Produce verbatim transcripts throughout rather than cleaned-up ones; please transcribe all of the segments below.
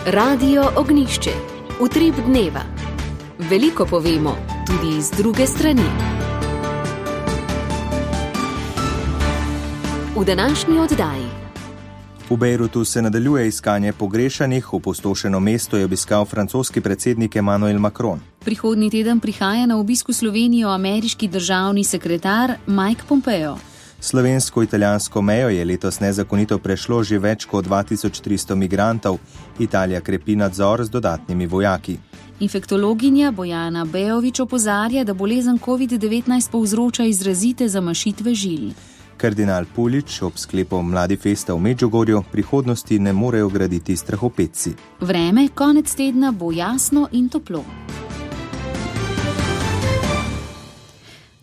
Radio Ognišče, utrip dneva. Veliko povemo, tudi z druge strani. V današnji oddaji. V Bejrutu se nadaljuje iskanje pogrešanih, opustošeno mesto je obiskal francoski predsednik Emmanuel Macron. Prihodnji teden prihaja na obisk v Slovenijo ameriški državni sekretar Mike Pompeo. Slovensko-italijansko mejo je letos nezakonito prešlo že več kot dva tisoč tristo migrantov. Italija krepi nadzor z dodatnimi vojaki. Infektologinja Bojana Bejovič opozarja, da bolezen covid devetnajst povzroča izrazite zamašitve žil. Kardinal Pulič ob sklepu Mladi festa v Medžugorju prihodnosti ne morejo graditi strahopetci. Vreme konec tedna bo jasno in toplo.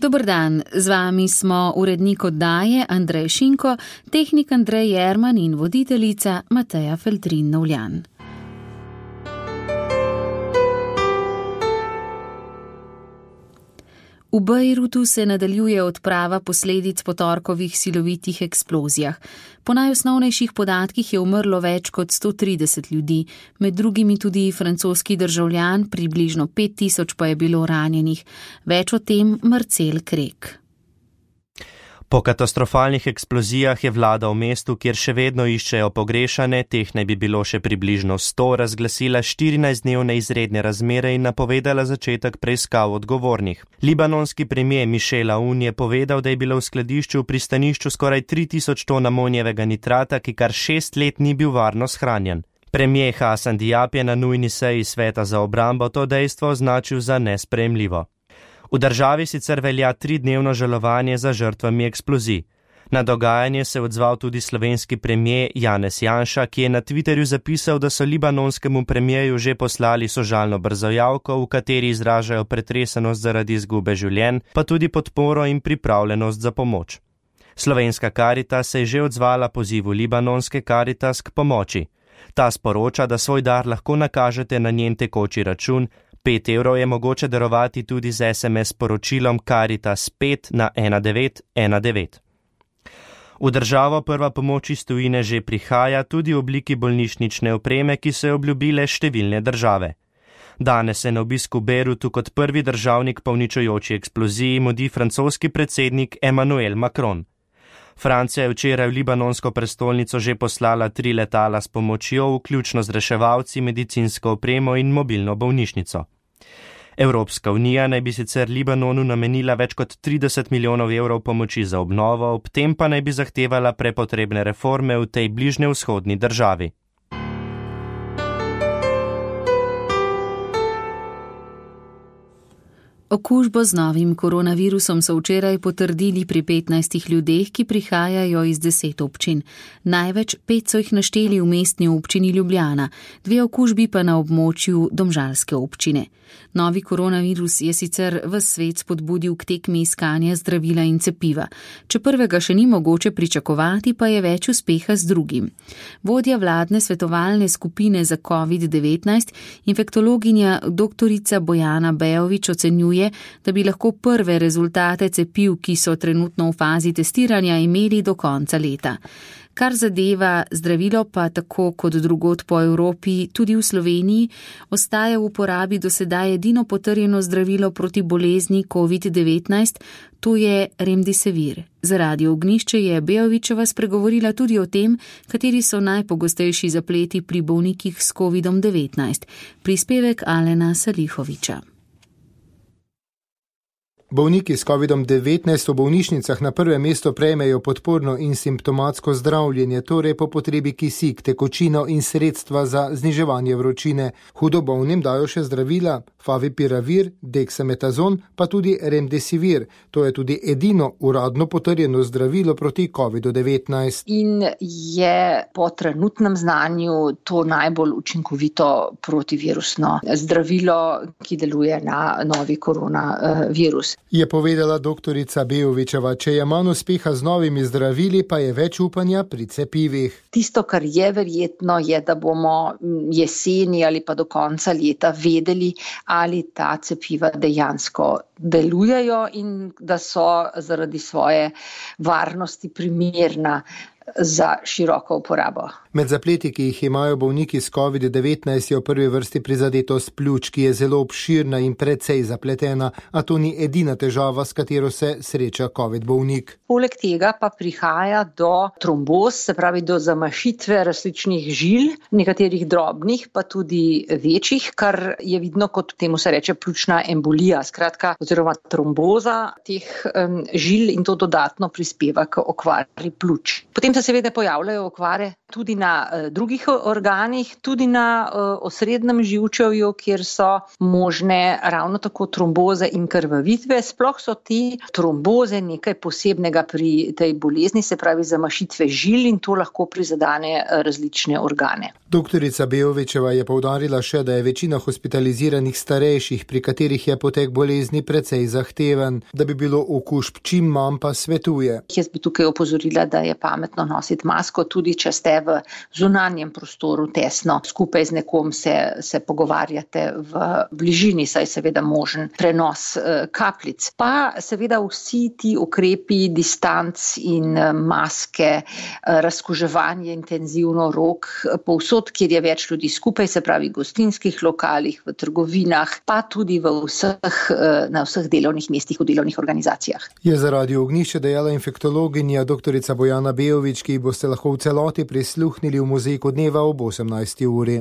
Dober dan, z vami smo urednik oddaje Andrej Šinko, tehnik Andrej Jerman in voditeljica Mateja Feltrin-Novljan. V Bejrutu se nadaljuje odprava posledic po torkovih silovitih eksplozijah. Po najosnovnejših podatkih je umrlo več kot sto trideset ljudi, med drugimi tudi francoski državljan, približno pet tisoč pa je bilo ranjenih. Več o tem Marcel Krek. Po katastrofalnih eksplozijah je vlada v mestu, kjer še vedno iščejo pogrešane, teh naj bi bilo še približno sto, razglasila štirinajstdnevne izredne razmere in napovedala začetek preiskav odgovornih. Libanonski premier Michel Aoun je povedal, da je bilo v skladišču v pristanišču skoraj tri tisoč ton amonijevega nitrata, ki kar šest let ni bil varno shranjen. Premier Hassan Diab je na nujni seji sveta za obrambo to dejstvo označil za nesprejemljivo. V državi sicer velja tridnevno žalovanje za žrtvami eksplozij. Na dogajanje se je odzval tudi slovenski premier Janez Janša, ki je na Twitterju zapisal, da so libanonskemu premierju že poslali sožalno brzojavko, v kateri izražajo pretresenost zaradi izgube življenj, pa tudi podporo in pripravljenost za pomoč. Slovenska Karitas se je že odzvala pozivu libanonske Karitas k pomoči. Ta sporoča, da svoj dar lahko nakažete na njen tekoči račun. Pet evrov je mogoče darovati tudi z es em es sporočilom Karitas pet na ena devet ena devet. V državo prva pomoč iz tujine že prihaja tudi v obliki bolnišnične opreme, ki so jo obljubile številne države. Danes se na obisku v Bejrutu kot prvi državnik po uničujoči eksploziji mudi francoski predsednik Emmanuel Macron. Francija je včeraj v libanonsko prestolnico že poslala tri letala s pomočjo, vključno z reševalci, medicinsko opremo in mobilno bolnišnico. Evropska unija naj bi sicer Libanonu namenila več kot trideset milijonov evrov pomoči za obnovo, ob tem pa naj bi zahtevala prepotrebne reforme v tej bližnjevzhodni državi. Okužbo z novim koronavirusom so včeraj potrdili pri petnajstih ljudeh, ki prihajajo iz deset občin. Največ pet so jih našteli v mestni občini Ljubljana, dve okužbi pa na območju domžalske občine. Novi koronavirus je sicer ves svet spodbudil k tekmi iskanja zdravila in cepiva. Če prvega še ni mogoče pričakovati, pa je več uspeha z drugim. Vodja vladne svetovalne skupine za covid devetnajst, infektologinja doktorica Bojana Bejovič ocenjuje, da bi lahko prve rezultate cepiv, ki so trenutno v fazi testiranja, imeli do konca leta. Kar zadeva zdravilo, pa tako kot drugod po Evropi, tudi v Sloveniji, ostaja v uporabi do sedaj edino potrjeno zdravilo proti bolezni covid devetnajst, to je Remdesivir. Za Radio Ognišče je Bejovičeva spregovorila tudi o tem, kateri so najpogostejši zapleti pri bolnikih s covidom devetnajst. Prispevek Alena Salihoviča. Bolniki s covidom devetnajst v bolnišnicah na prve mesto prejmejo podporno in simptomatsko zdravljenje, torej po potrebi kisik, tekočino in sredstva za zniževanje vročine. Hudo bolnim dajo še zdravila Favipiravir, Dexametazon, pa tudi Remdesivir. To je tudi edino uradno potrjeno zdravilo proti covidu devetnajst. In je po trenutnem znanju to najbolj učinkovito protivirusno zdravilo, ki deluje na novi koronavirus. Je povedala doktorica Bejovičeva, če je manj uspeha z novimi zdravili, pa je več upanja pri cepivih. Tisto, kar je verjetno, je, da bomo jeseni ali pa do konca leta vedeli, ali ta cepiva dejansko delujejo in da so zaradi svoje varnosti primerna za široko uporabo. Med zapleti, ki jih imajo bolniki s covid devetnajst, je v prvi vrsti prizadetost pljuč, ki je zelo obširna in precej zapletena, a to ni edina težava, s katero se sreča covid bolnik. Poleg tega pa prihaja do tromboz, se pravi do zamašitve različnih žil, nekaterih drobnih, pa tudi večjih, kar je vidno kot temu se reče pljučna embolija, skratka, oziroma tromboza teh um, žil in to dodatno prispeva k okvari pljuč. Potem se seveda pojavljajo okvare tudi na uh, drugih organih, tudi na uh, osrednjem živčevju, kjer so možne ravno tako tromboze in krvavitve. Sploh so te tromboze nekaj posebnega pri tej bolezni, se pravi zamašitve žil in to lahko prizadane različne organe. Doktorica Bejovičeva je poudarila še, da je večina hospitaliziranih starejših, pri katerih je potek bolezni precej zahteven, da bi bilo okužb čim manj, pa svetuje. Jaz bi tukaj opozorila, da je pametno nositi masko, tudi če ste v zunanjem prostoru tesno, skupaj z nekom se, se pogovarjate v bližini, saj seveda možen prenos eh, kapljic. Pa seveda vsi ti ukrepi, distanc in eh, maske, eh, razkuževanje intenzivno rok, povsod, kjer je več ljudi skupaj, se pravi v gostinskih lokalih, v trgovinah, pa tudi v vseh, eh, na vseh delovnih mestih, v delovnih organizacijah. Je za Radio Ognjišče dejala infektologinja doktorica Bojana Bejovič, ki boste lahko v celoti prisluhnili v Mozaiku dneva ob osemnajsti uri.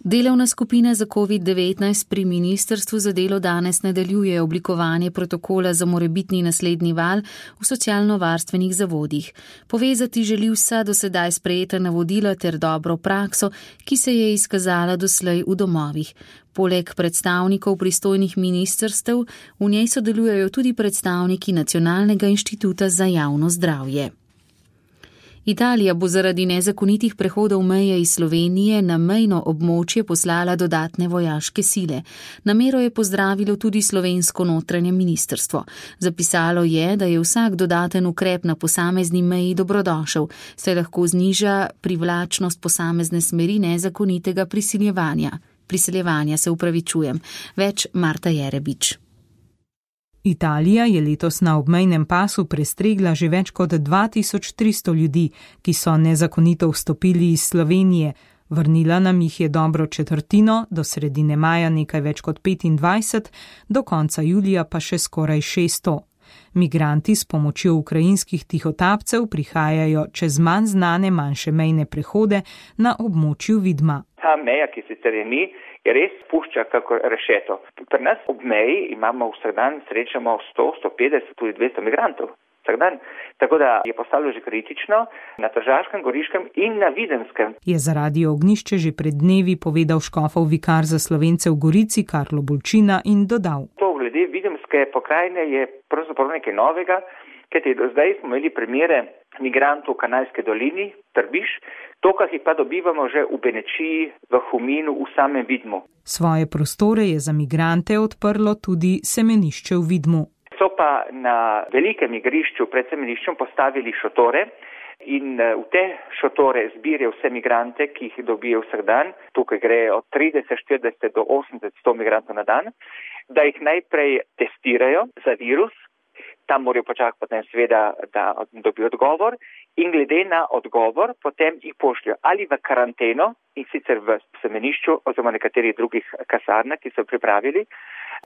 Delovna skupina za covid devetnajst pri Ministrstvu za delo danes nadaljuje oblikovanje protokola za morebitni naslednji val v socialno-varstvenih zavodih. Povezati želi vsa do sedaj sprejeta navodila ter dobro prakso, ki se je izkazala doslej v domovih. Poleg predstavnikov pristojnih ministrstev v njej sodelujejo tudi predstavniki Nacionalnega inštituta za javno zdravje. Italija bo zaradi nezakonitih prehodov meje iz Slovenije na mejno območje poslala dodatne vojaške sile. Namero je pozdravilo tudi slovensko notranje ministrstvo. Zapisalo je, da je vsak dodaten ukrep na posamezni meji dobrodošel, saj lahko zniža privlačnost posamezne smeri nezakonitega prisiljevanja. Priseljevanja se upravičujem. Več Marta Jerebič. Italija je letos na obmejnem pasu prestregla že več kot dva tisoč tristo ljudi, ki so nezakonito vstopili iz Slovenije. Vrnila nam jih je dobro četrtino, do sredine maja nekaj več kot petindvajset, do konca julija pa še skoraj šeststo. Migranti s pomočjo ukrajinskih tihotapcev prihajajo čez manj znane manjše mejne prehode na območju Vidma. Ta meja, ki sicer je ni, je res pušča kako rešeto. Pri nas ob meji imamo vsak dan srečamo sto, sto petdeset, tudi dvesto migrantov. Vsak dan. Tako da je postalo že kritično na Tržaškem, Goriškem in na Videmskem. Je za Radio Ognjišče že pred dnevi povedal škofov vikar za Slovence v Gorici Karlo Bolčina in dodal. To glede Videmske pokrajine je pravzaprav nekaj novega, kajti do zdaj smo imeli primere migrantov v Kanalski dolini, Trbiš, to, kar jih pa dobivamo že v Benečiji, v Huminu, v samem Vidmu. Svoje prostore je za migrante odprlo tudi semenišče v Vidmu. So pa na velikem igrišču pred semeniščem postavili šotore in v te šotore zbirajo vse migrante, ki jih dobijo vsak dan. Tukaj gre od trideset, štirideset do osemdeset, sto migrantov na dan, da jih najprej testirajo za virus. Tam morajo počakati potem seveda, da dobijo odgovor in glede na odgovor potem jih pošljajo ali v karanteno in sicer v semenišču oziroma nekaterih drugih kasarnah, ki so pripravili,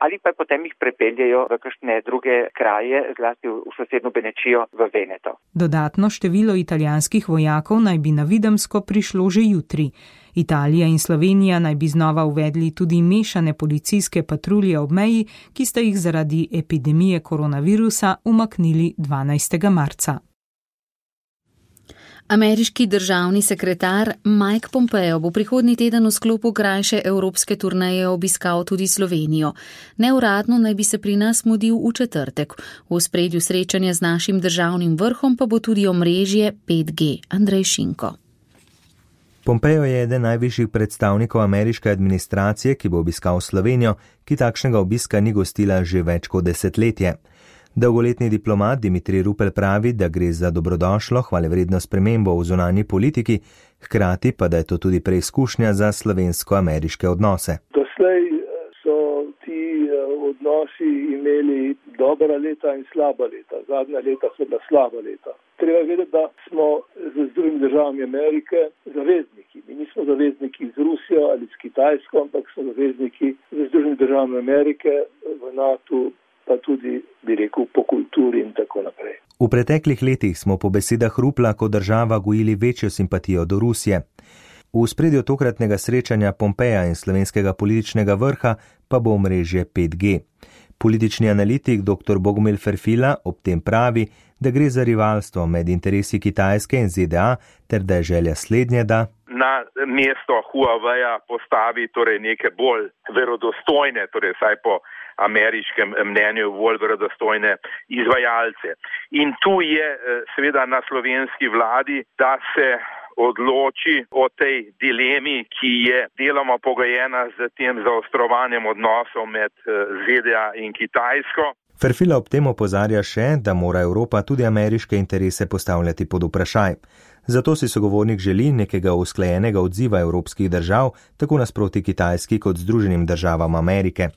ali pa potem jih prepeljajo v kakšne druge kraje, zlasti v sosednjo Benečijo v Veneto. Dodatno število italijanskih vojakov naj bi na Videmsko prišlo že jutri. Italija in Slovenija naj bi znova uvedli tudi mešane policijske patrulje ob meji, ki sta jih zaradi epidemije koronavirusa umaknili dvanajstega marca. Ameriški državni sekretar Mike Pompeo bo prihodnji teden v sklopu krajše evropske turneje obiskal tudi Slovenijo. Neuradno naj bi se pri nas mudil v četrtek. V ospredju srečanja z našim državnim vrhom pa bo tudi omrežje pet G. Andrej Šinko. Pompeo je eden najvišjih predstavnikov ameriške administracije, ki bo obiskal Slovenijo, ki takšnega obiska ni gostila že več kot desetletje. Dolgoletni diplomat Dimitrij Rupel pravi, da gre za dobrodošlo, hvalevredno spremembo v zunanji politiki, hkrati pa da je to tudi preizkušnja za slovensko-ameriške odnose. Doslej so ti odnosi imeli dobra leta in slaba leta. Zadnja leta so bila slaba leta. Treba vedeti, da smo z Združenimi državami Amerike zavezniki. Mi nismo zavezniki z Rusijo ali s Kitajsko, ampak smo zavezniki z Združenimi državami Amerike v NATO, pa tudi, bi rekel, po kulturi in tako naprej. V preteklih letih smo po besedah Rupla kot država gojili večjo simpatijo do Rusije. V spredju tokratnega srečanja Pompeja in slovenskega političnega vrha pa bo omrežje pet G. Politični analitik dr. Bogomil Ferfila ob tem pravi, da gre za rivalstvo med interesi Kitajske in Z D A, ter da je želja slednje, da na mesto Huaweia postavi torej neke bolj verodostojne, torej vsaj po ameriškem mnenju bolj verodostojne izvajalce. In tu je seveda na slovenski vladi, da se odloči o tej dilemi, ki je deloma pogojena z tem zaostrovanjem odnosov med Z D A in Kitajsko. Ferfila ob tem opozarja še, da mora Evropa tudi ameriške interese postavljati pod vprašaj. Zato si sogovornik želi nekega usklajenega odziva evropskih držav, tako nasproti Kitajski kot Združenim državam Amerike.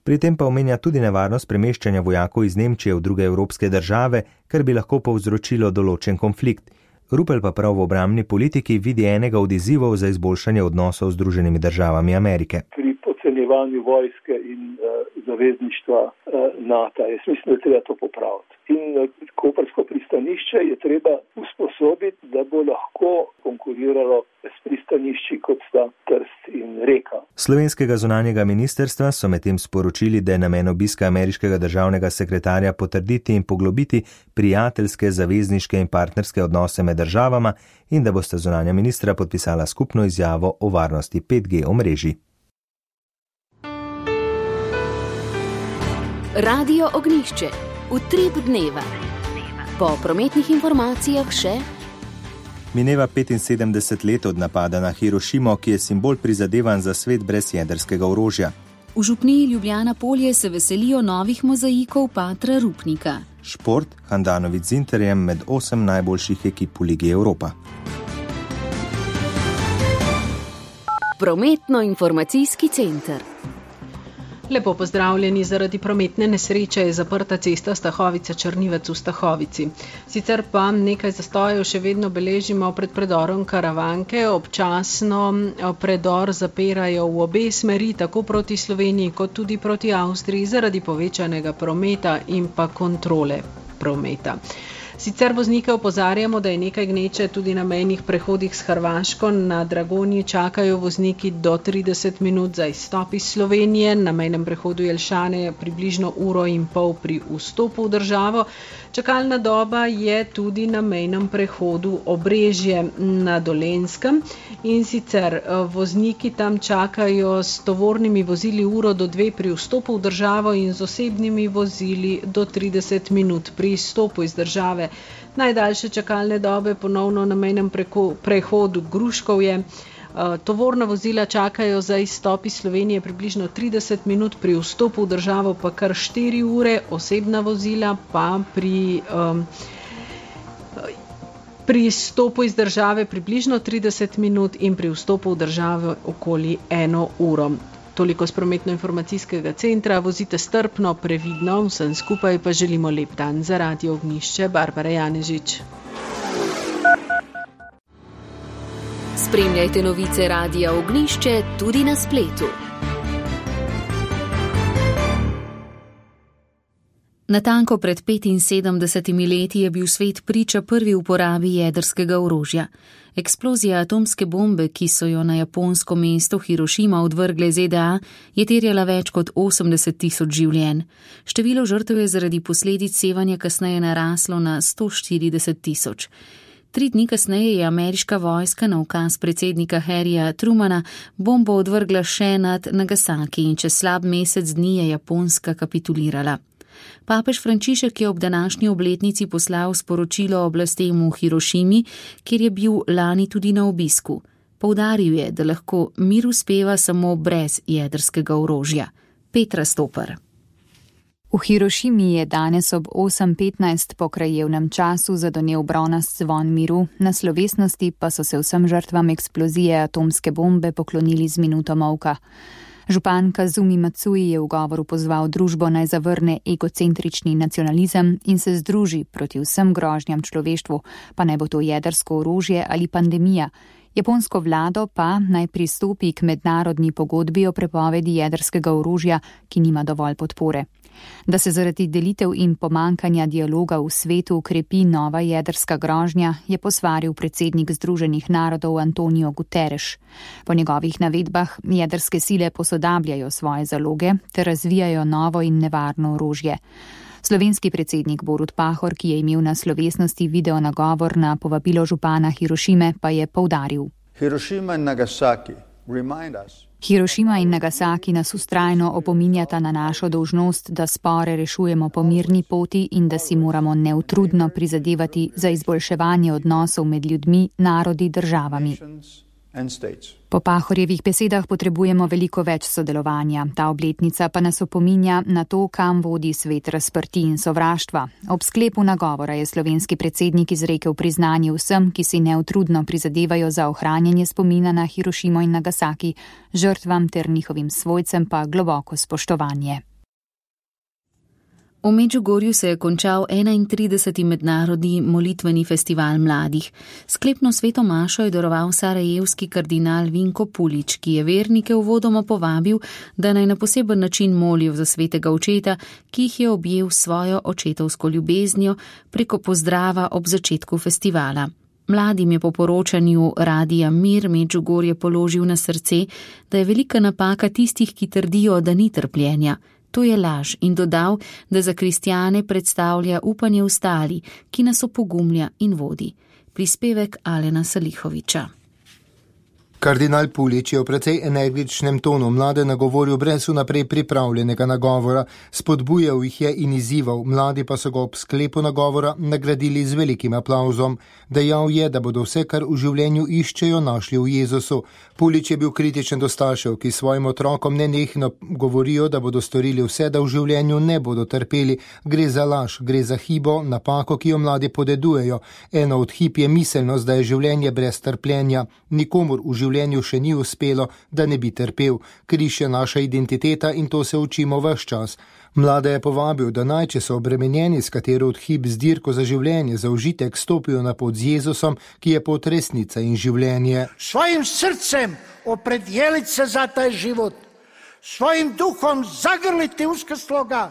Pri tem pa omenja tudi nevarnost premeščanja vojakov iz Nemčije v druge evropske države, kar bi lahko povzročilo določen konflikt. Rupel pa prav v obrambni politiki vidi enega od izzivov za izboljšanje odnosov z Združenimi državami Amerike. Pri podcenjevanju vojske in uh, zavezništva uh, NATO, jaz mislim, da treba to popraviti. In uh, koprsko pristanišče je treba usposobiti, da bo lahko konkuriralo s pristanišči, kot sta Trst in Reka. Slovenskega zunanjega ministrstva so medtem sporočili, da je namen obiska ameriškega državnega sekretarja potrditi in poglobiti prijateljske, zavezniške in partnerske odnose med državama in da bosta zunanja ministra podpisala skupno izjavo o varnosti pet G omrežij. Radio Ognjišče. Utrip dneva. Po prometnih informacijah še mineva petinsedemdeset let od napada na Hirošimo, ki je simbol prizadevanj za svet brez jedrskega orožja. V župniji Ljubljana Polje se veselijo novih mozaikov Patra Rupnika. Šport Handanović z Interjem med osem najboljših ekip v Ligi Evropa. Prometno-informacijski center. Lepo pozdravljeni, zaradi prometne nesreče je zaprta cesta Stahovica-Črnivec v Stahovici. Sicer pa nekaj zastojev še vedno beležimo pred predorom Karavanke, občasno predor zapirajo v obe smeri, tako proti Sloveniji kot tudi proti Avstriji, zaradi povečanega prometa in pa kontrole prometa. Sicer voznike opozarjamo, da je nekaj gneče tudi na mejnih prehodih s Hrvaško. Na Dragonji čakajo vozniki do trideset minut za izstop iz Slovenije, na mejnem prehodu Jelšane približno uro in pol pri vstopu v državo. Čakalna doba je tudi na mejnem prehodu Obrežje na Dolenjskem in sicer vozniki tam čakajo s tovornimi vozili uro do dve pri vstopu v državo in z osebnimi vozili do trideset minut pri izstopu iz države. Najdaljše čakalne dobe ponovno na mejnem prehodu Gruškovje. Tovorna vozila čakajo za izstop iz Slovenije približno trideset minut, pri vstopu v državo pa kar štiri ure, osebna vozila pa pri, um, pri izstopu iz države približno trideset minut in pri vstopu v državo okoli eno uro. Toliko z prometno-informacijskega centra, vozite strpno, previdno, vsem skupaj pa želimo lep dan. Za Radio Ognjišče, Barbara Janežič. Spremljajte novice Radia Ognjišče tudi na spletu. Natanko pred petinsedemdesetimi leti je bil svet priča prvi uporabi jedrskega orožja. Eksplozija atomske bombe, ki so jo na japonsko mesto Hirošima odvrgle Z D A, je terjala več kot osemdeset tisoč življenj. Število žrtev je zaradi posledic sevanja kasneje naraslo na sto štirideset tisoč. Tri dni kasneje je ameriška vojska na ukaz predsednika Harryja Trumana bombo odvrgla še nad Nagasaki in čez slab mesec dni je Japonska kapitulirala. Papež Frančišek je ob današnji obletnici poslal sporočilo oblastem v Hirošimi, kjer je bil lani tudi na obisku. Poudaril je, da lahko mir uspeva samo brez jedrskega orožja. Petra Stopar. V Hirošimi je danes ob osem petnajst po krajevnem času zadonel bronast zvon miru, na slovesnosti pa so se vsem žrtvam eksplozije atomske bombe poklonili z minuto molka. Župan Kazumi Matsui je v govoru pozval družbo naj zavrne egocentrični nacionalizem in se združi proti vsem grožnjam človeštvu, pa naj bo to jedrsko orožje ali pandemija. Japonsko vlado pa naj pristopi k mednarodni pogodbi o prepovedi jedrskega orožja, ki nima dovolj podpore. Da se zaradi delitev in pomankanja dialoga v svetu ukrepi nova jedrska grožnja, je posvaril predsednik Združenih narodov Antonio Guterres. Po njegovih navedbah jedrske sile posodabljajo svoje zaloge ter razvijajo novo in nevarno orožje. Slovenski predsednik Borut Pahor, ki je imel na slovesnosti video nagovor na povabilo župana Hirošime, pa je poudaril. Hirošima in Nagasaki remind us. Hirošima in Nagasaki nas vztrajno opominjata na našo dolžnost, da spore rešujemo po mirni poti in da si moramo neutrudno prizadevati za izboljševanje odnosov med ljudmi, narodi, državami. Po Pahorjevih besedah potrebujemo veliko več sodelovanja. Ta obletnica pa nas opominja na to, kam vodi svet razprti in sovraštva. Ob sklepu nagovora je slovenski predsednik izrekel priznanje vsem, ki si neutrudno prizadevajo za ohranjanje spomina na Hirošimo in Nagasaki, žrtvam ter njihovim svojcem pa globoko spoštovanje. V Medžugorju se je končal enaintrideseti mednarodni molitveni festival mladih. Sklepno sveto mašo je daroval sarajevski kardinal Vinko Pulič, ki je vernike uvodoma povabil, da naj na poseben način molijo za svetega očeta, ki jih je objel svojo očetovsko ljubeznijo preko pozdrava ob začetku festivala. Mladim je po poročanju Radia Mir Medžugorje položil na srce, da je velika napaka tistih, ki trdijo, da ni trpljenja. To je laž in dodal, da za kristjane predstavlja upanje v stali, ki nas opogumlja in vodi. Prispevek Alena Salihoviča. Kardinal Pulič je v precej energičnem tonu mlade nagovoril brez vnaprej pripravljenega nagovora, spodbujal jih je in izzival, mladi pa so ga ob sklepu nagovora nagradili z velikim aplavzom. Dejal je, da bodo vse, kar v življenju iščejo, našli v Jezusu. Pulič je bil kritičen do staršev, ki svojim otrokom nenehno govorijo, da bodo storili vse, da v življenju ne bodo trpeli. Gre za laž, gre za hibo, napako, ki jo mladi podedujejo. Eno od hib je miselnost, da je življenje brez trpljenja. Nikomur v življenju še ni uspelo, da ne bi trpel. Križ je naša identiteta in to se učimo ves čas. Mlade je povabil, da naj, če so obremenjeni s katero od hib z dirko za življenje, za užitek stopijo na pot z Jezusom, ki je pot resnica in življenje. Svojim srcem opredjeliti se za taj život, svojim duhom zagrliti uska sloga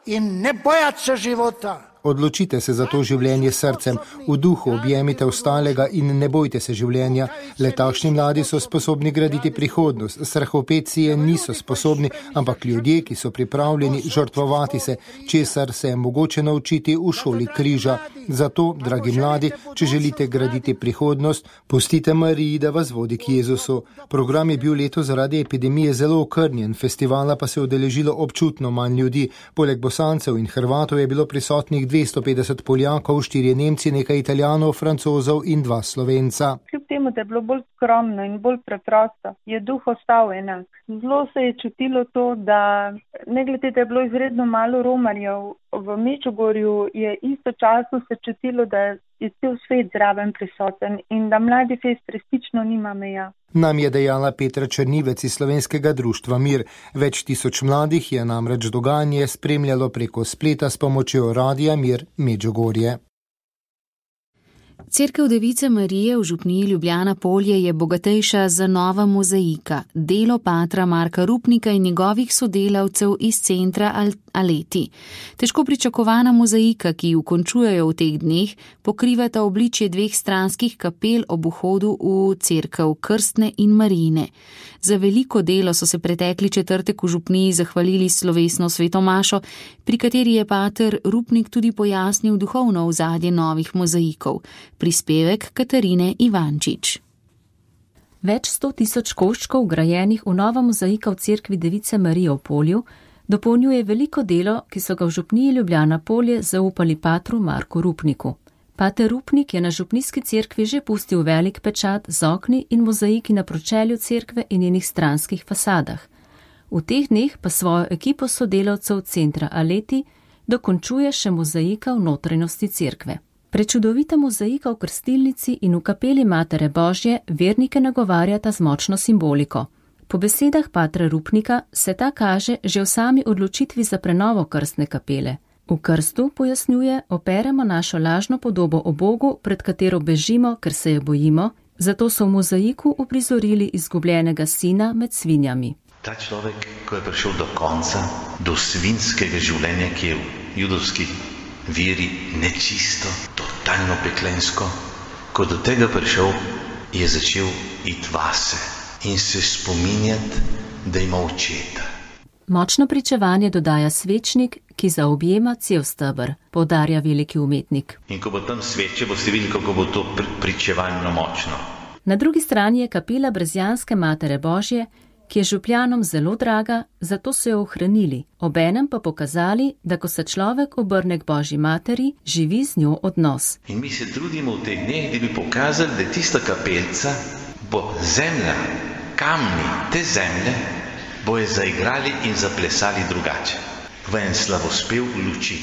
in ne bojati se života. Odločite se za to življenje srcem, v duhu objemite ostalega in ne bojte se življenja. Le takšni mladi so sposobni graditi prihodnost, strahopetci je niso sposobni, ampak ljudje, ki so pripravljeni žrtvovati se, česar se je mogoče naučiti v šoli križa. Zato, dragi mladi, če želite graditi prihodnost, pustite Mariji, da vas vodi k Jezusu. Program je bil letos zaradi epidemije zelo okrnjen, festivala pa se je udeležilo občutno manj ljudi. Poleg Bosancev in Hrvatov je bilo prisotnih dvesto petdeset Poljakov, štirje Nemci, nekaj Italijanov, Francozov in dva Slovenca. Kljub temu, da je bilo bolj skromno in bolj preprosto, je duh ostal enak. Zelo se je čutilo to, da ne glede, da je bilo izredno malo romarjev, v Medžugorju je istočasno se čutilo, da je cel svet zraven prisoten in da mladi fest resnično nima meja. Nam je dejala Petra Črnivec iz Slovenskega društva Mir. Več tisoč mladih je namreč dogajanje spremljalo preko spleta s pomočjo Radia Mir Medžugorje. Cerkev Device Marije v župniji Ljubljana Polje je bogatejša za nova mozaika, delo patra Marka Rupnika in njegovih sodelavcev iz centra Aleti. Težko pričakovana mozaika, ki jo končujejo v teh dneh, pokrivata obličje dveh stranskih kapel ob vhodu v cerkev Krstne in Marijine. Za veliko delo so se pretekli četrtek v župniji zahvalili slovesno sveto mašo, pri kateri je pater Rupnik tudi pojasnil duhovno ozadje novih mozaikov. Prispevek Katarine Ivančič. Več sto tisoč koščkov grajenih v nova mozaika v cerkvi Device Marije v Polju dopolnjuje veliko delo, ki so ga v župniji Ljubljana Polje zaupali patru Marku Rupniku. Pater Rupnik je na župnijski cerkvi že pustil velik pečat z okni in mozaiki na pročelju cerkve in njenih stranskih fasadah. V teh dneh pa svojo ekipo sodelavcev centra Aleti dokončuje še mozaika v notranjosti cerkve. Prečudovita mozaika v krstilnici in v kapeli Matere Božje vernike nagovarjata z močno simboliko. Po besedah patra Rupnika se ta kaže že v sami odločitvi za prenovo krstne kapele. V krstu, pojasnjuje, operemo našo lažno podobo o Bogu, pred katero bežimo, ker se je bojimo, zato so v mozaiku uprizorili izgubljenega sina med svinjami. Ta človek, ko je prišel do konca, do svinskega življenja, ki je v judovski veri nečisto, totalno peklensko, ko do tega prišel, je začel iti vase in se spominjati, da ima očeta. Močno pričevanje dodaja svečnik, ki zaobjema cel steber, poudarja veliki umetnik. In ko bo tam sveče, boste videli, kako bo to pričevanje močno. Na drugi strani je kapela Brezjanske Matere Božje, ki je župljanom zelo draga, zato so jo ohranili, obenem pa pokazali, da ko se človek obrne k Božji materi, živi z njo odnos. In mi se trudimo v teh dneh, da bi pokazali, da tista kapelca bo zemlja, kamni te zemlje, bojo zaigrali in zaplesali drugače, v en slavospev luči.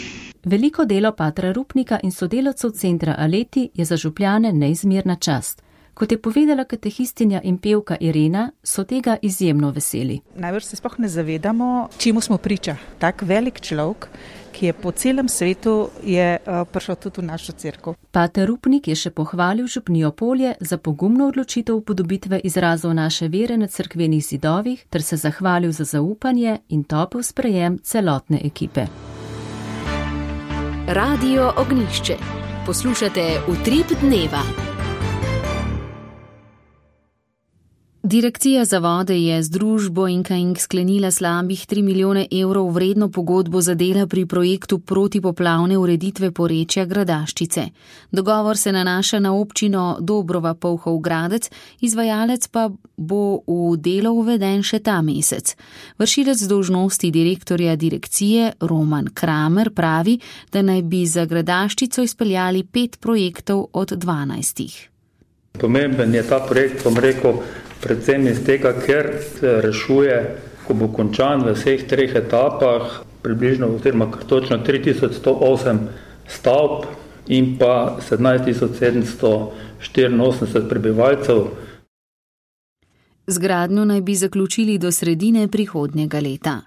Veliko delo patra Rupnika in sodelavcev centra Aleti je za župljane neizmerna čast. Kot je povedala katehistinja in pevka Irena, so tega izjemno veseli. Najbrž se sploh ne zavedamo, čemu smo priča. Tak velik človek, ki je po celem svetu, je uh, prišel tudi v našo cerkev. Pater Rupnik je še pohvalil župnijo Polje za pogumno odločitev upodobitve izrazov naše vere na cerkvenih zidovih ter se zahvalil za zaupanje in topel sprejem celotne ekipe. Radio Ognjišče. Poslušate Utrip dneva. Direkcija za vode je z družbo Inka Ink sklenila slabih tri milijone evrov vredno pogodbo za dela pri projektu protipoplavne ureditve porečja Gradaščice. Dogovor se nanaša na občino Dobrova Polhov Gradec, izvajalec pa bo v delo uveden še ta mesec. Vršilec dolžnosti direktorja direkcije Roman Kramer pravi, da naj bi za Gradaščico izpeljali pet projektov od dvanajstih. Pomemben je ta projekt, bom rekel, predvsem iz tega, ker se rešuje, ko bo končan v vseh treh etapah, približno oziroma točno tri tisoč sto osem stavb in pa sedemnajst tisoč sedemsto štiriinosemdeset prebivalcev. Zgradnjo naj bi zaključili do sredine prihodnjega leta.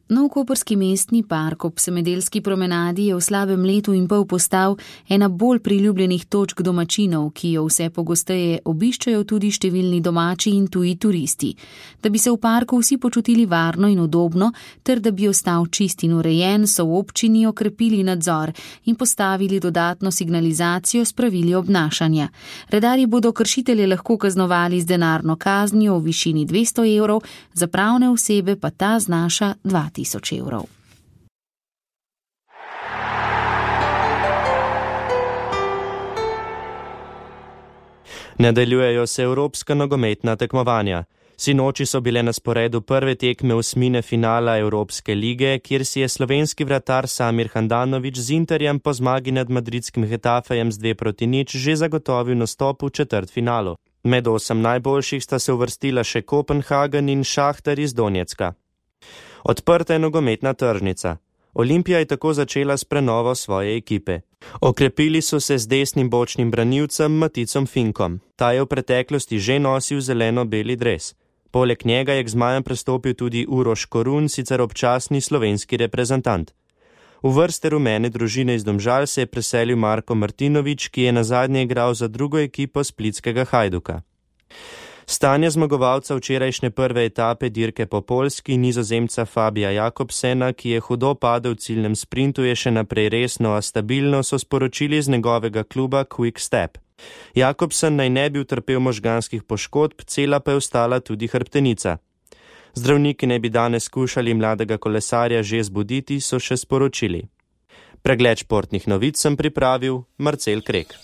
Nov koprski mestni park ob Semedelski promenadi je v slabem letu in pol postal ena bolj priljubljenih točk domačinov, ki jo vse pogosteje obiščajo tudi številni domači in tuji turisti. Da bi se v parku vsi počutili varno in udobno, ter da bi ostal čist in urejen, so v občini okrepili nadzor in postavili dodatno signalizacijo s pravili obnašanja. Redarji bodo kršitelje lahko kaznovali z denarno kaznijo v višini dvesto evrov, za pravne osebe pa ta znaša dva tisoč evrov. Nadaljujejo se evropska nogometna tekmovanja. Sinoči so bile na sporedu prve tekme osmine finala Evropske lige, kjer si je slovenski vratar Samir Handanović z Interjem po zmagi nad madridskim Getafejem z dve proti nič že zagotovil nastop v četrtfinalu. Med osem najboljših sta se uvrstila še Kopenhagen in Šahtar iz Donjecka. Odprta je nogometna tržnica. Olimpija je tako začela s prenovo svoje ekipe. Okrepili so se z desnim bočnim branilcem Maticom Finkom. Ta je v preteklosti že nosil zeleno-beli dres. Poleg njega je k zmajem prestopil tudi Uroš Korun, sicer občasni slovenski reprezentant. V vrste rumene družine iz Domžal se je preselil Marko Martinović, ki je nazadnje igral za drugo ekipo splitskega Hajduka. Stanje zmagovalca včerajšnje prve etape dirke po Poljski, Nizozemca Fabija Jakobsena, ki je hudo padel v ciljnem sprintu, je še naprej resno, a stabilno, so sporočili z njegovega kluba Quick Step. Jakobsen naj ne bi utrpel možganskih poškodb, cela pa je ostala tudi hrbtenica. Zdravniki naj bi danes skušali mladega kolesarja že zbuditi, so še sporočili. Pregled športnih novic sem pripravil Marcel Krek.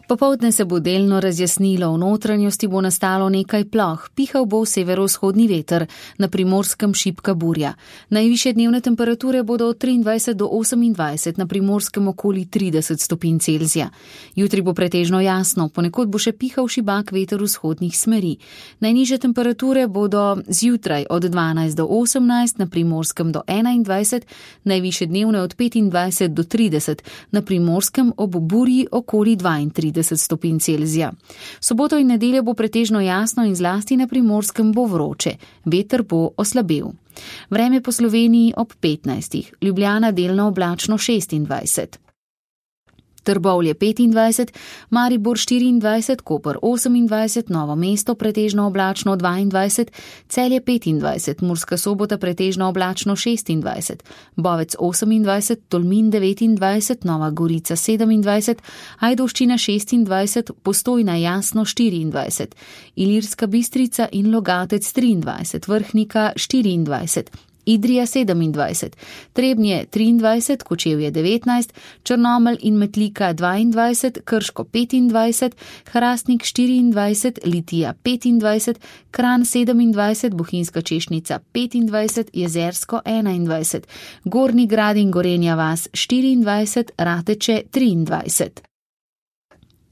Popoldne se bo delno razjasnilo, v notranjosti bo nastalo nekaj ploh, pihal bo severovzhodni veter, na Primorskem šibka burja. Najvišje dnevne temperature bodo od triindvajset do osemindvajset, na Primorskem okoli trideset stopinj Celzija. Jutri bo pretežno jasno, ponekod bo še pihal šibak veter vzhodnih smeri. Najnižje temperature bodo zjutraj od dvanajst do osemnajst, na Primorskem do enaindvajset, najvišje dnevne od petindvajset do trideset, na Primorskem ob burji okoli dvaintrideset stopinj Celzija. Soboto in nedeljo bo pretežno jasno in zlasti na Primorskem bo vroče. Veter bo oslabel. Vreme po Sloveniji ob petnajstih. Ljubljana delno oblačno šestindvajset. Trbovlje petindvajset, Maribor štiriindvajset, Koper osemindvajset, Novo mesto pretežno oblačno dvaindvajset, Celje petindvajset, Murska Sobota pretežno oblačno šestindvajset, Bovec osemindvajset, Tolmin devetindvajset, Nova Gorica sedemindvajset, Ajdovščina šestindvajset, Postojna jasno štiriindvajset, Ilirska Bistrica in Logatec triindvajset, Vrhnika štiriindvajset, Idrija sedemindvajset, Trebnje triindvajset, Kočevje devetnajst, Črnomelj in Metlika dvaindvajset, Krško petindvajset, Hrastnik štiriindvajset, Litija petindvajset, Kranj sedemindvajset, Bohinjska Češnica petindvajset, Jezersko enaindvajset, Gornji Grad in Gorenja vas štiriindvajset, Rateče triindvajset.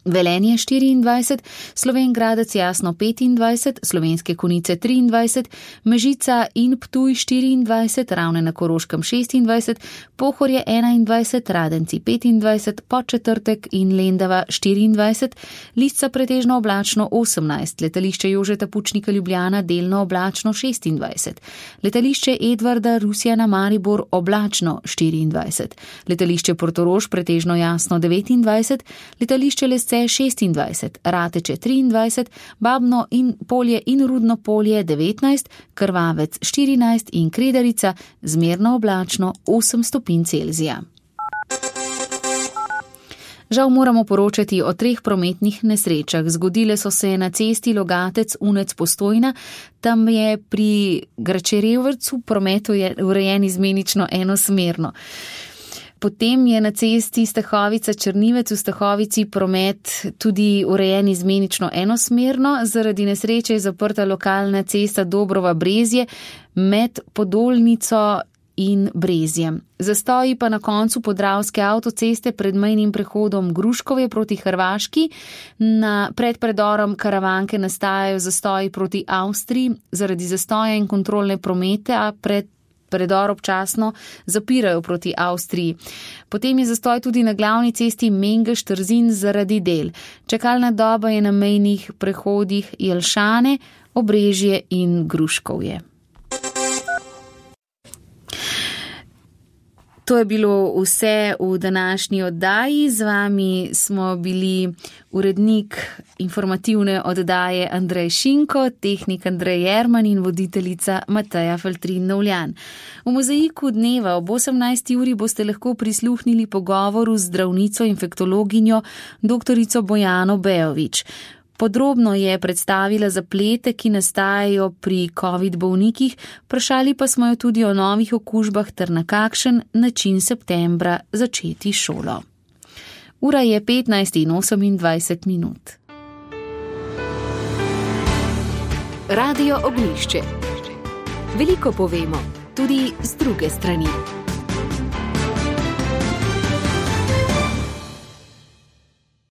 Velenje štiriindvajset, Slovenj Gradec jasno petindvajset, Slovenske Konjice triindvajset, Mežica in Ptuj štiriindvajset, Ravne na Koroškem šestindvajset, Pohorje enaindvajset, Radenci petindvajset, Podčetrtek in Lendava štiriindvajset, Lisca pretežno oblačno osemnajst, Letališče Jožeta Pučnika Ljubljana delno oblačno šestindvajset, Letališče Edvarda Rusjana Maribor oblačno štiriindvajset, Letališče Portorož pretežno jasno devetindvajset, Letališče Lesce šestindvajset, Rateče triindvajset, Babno in Polje in Rudno Polje devetnajst, Krvavec štirinajst in Kredarica zmerno oblačno osem stopinj Celzija. Žal moramo poročati o treh prometnih nesrečah. Zgodile so se na cesti Logatec Unec Postojna, tam je pri Gračerjevrcu promet urejen izmenično enosmerno. Potem je na cesti Stahovica Črnivec v Stahovici promet tudi urejen izmenično enosmerno, zaradi nesreče je zaprta lokalna cesta Dobrova Brezje med Podolnico in Brezjem. Zastoji pa na koncu Podravske avtoceste pred mejnim prehodom Gruškovje proti Hrvaški, na pred predorom Karavanke nastajajo zastoji proti Avstriji, zaradi zastoja in kontrolne promete, a pred predor občasno zapirajo proti Avstriji. Potem je zastoj tudi na glavni cesti Mengeš-Trzin zaradi del. Čakalna doba je na mejnih prehodih Jelšane, Obrežje in Gruškovje. To je bilo vse v današnji oddaji. Z vami smo bili urednik informativne oddaje Andrej Šinko, tehnik Andrej Jerman in voditeljica Mateja Feltrin-Novljan. V mozaiku dneva ob osemnajsti uri boste lahko prisluhnili pogovoru z zdravnico infektologinjo doktorico Bojano Bejović. Podrobno je predstavila zaplete, ki nastajajo pri covid bolnikih, vprašali pa smo jo tudi o novih okužbah ter na kakšen način septembra začeti šolo. Ura je petnajst in osemindvajset minut. Radio Ognjišče. Veliko povemo, tudi z druge strani.